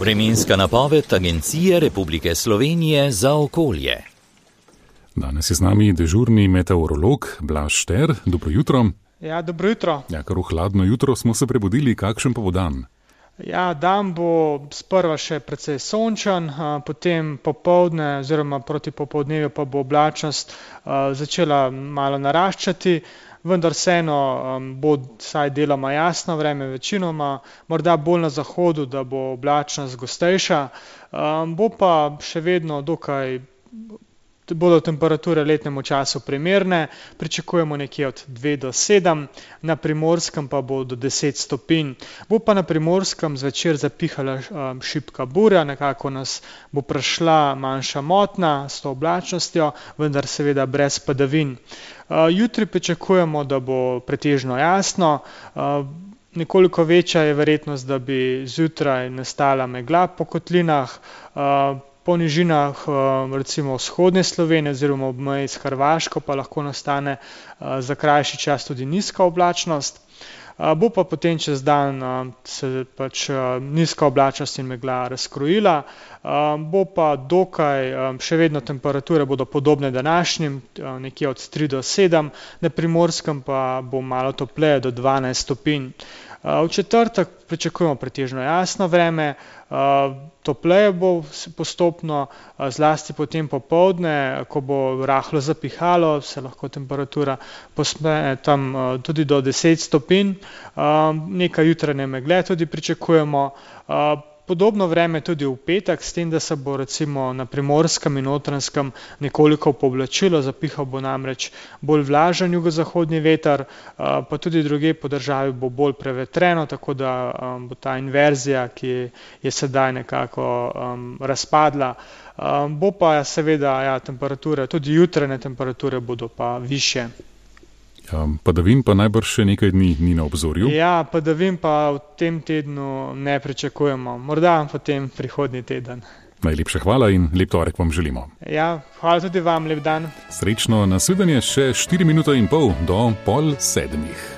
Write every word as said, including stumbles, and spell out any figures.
Vremenska napoved Agencije Republike Slovenije za okolje. Danes je z nami dežurni meteorolog Blaž Šter. Dobro jutro. Ja, dobro jutro. Ja, kar v hladno jutro smo se prebudili, kakšen pa bo dan? Ja, dan bo sprva še precej sončen, potem popoldne oziroma proti popoldnevu pa bo oblačnost začela malo naraščati, vendar vseeno bo vsaj deloma jasno vreme, večinoma, morda bolj na zahodu, da bo oblačnost gostejša, bo pa še vedno dokaj, bodo temperature letnemu času primerne, pričakujemo nekje od dve do sedem, na Primorskem pa bo do deset stopinj. Bo pa na Primorskem zvečer zapihala šibka burja, nekako nas bo prešla manjša motnja s to oblačnostjo, vendar seveda brez padavin. Jutri pričakujemo, da bo pretežno jasno, nekoliko večja je verjetnost, da bi zjutraj nastala megla po kotlinah, po nižinah recimo vzhodne Slovenije oziroma ob meji s Hrvaško pa lahko nastane za krajši čas tudi nizka oblačnost. Bo pa potem čez dan se pač nizka oblačnost in megla razkrojila, bo pa dokaj, še vedno temperature bodo podobne današnjim, nekje od tri do sedem, na Primorskem pa bo malo topleje do dvanajst stopinj. V četrtek pričakujemo pretežno jasno vreme, topleje bo postopno, zlasti potem popoldne, ko bo rahlo zapihalo, se lahko temperatura povzpne tam tudi do deset stopinj, nekaj jutranje megle tudi pričakujemo. Podobno vreme tudi v petek, s tem, da se bo recimo na Primorskem in Notranjskem nekoliko pooblačilo, zapihal bo namreč bolj vlažen jugozahodni veter, pa tudi drugje po državi bo bolj prevetreno, tako da bo ta inverzija, ki je sedaj nekako razpadla, bo pa seveda ja, temperature, tudi jutranje temperature bodo pa višje. Ja, padavin pa najbrž še nekaj dni ni na obzorju. Ja, padavin pa v tem tednu ne pričakujemo, morda potem prihodnji teden. Najlepša hvala in lep torek vam želimo. Ja, hvala tudi vam, lep dan. Srečno, nasvidenje še štiri minute in pol do pol sedmih.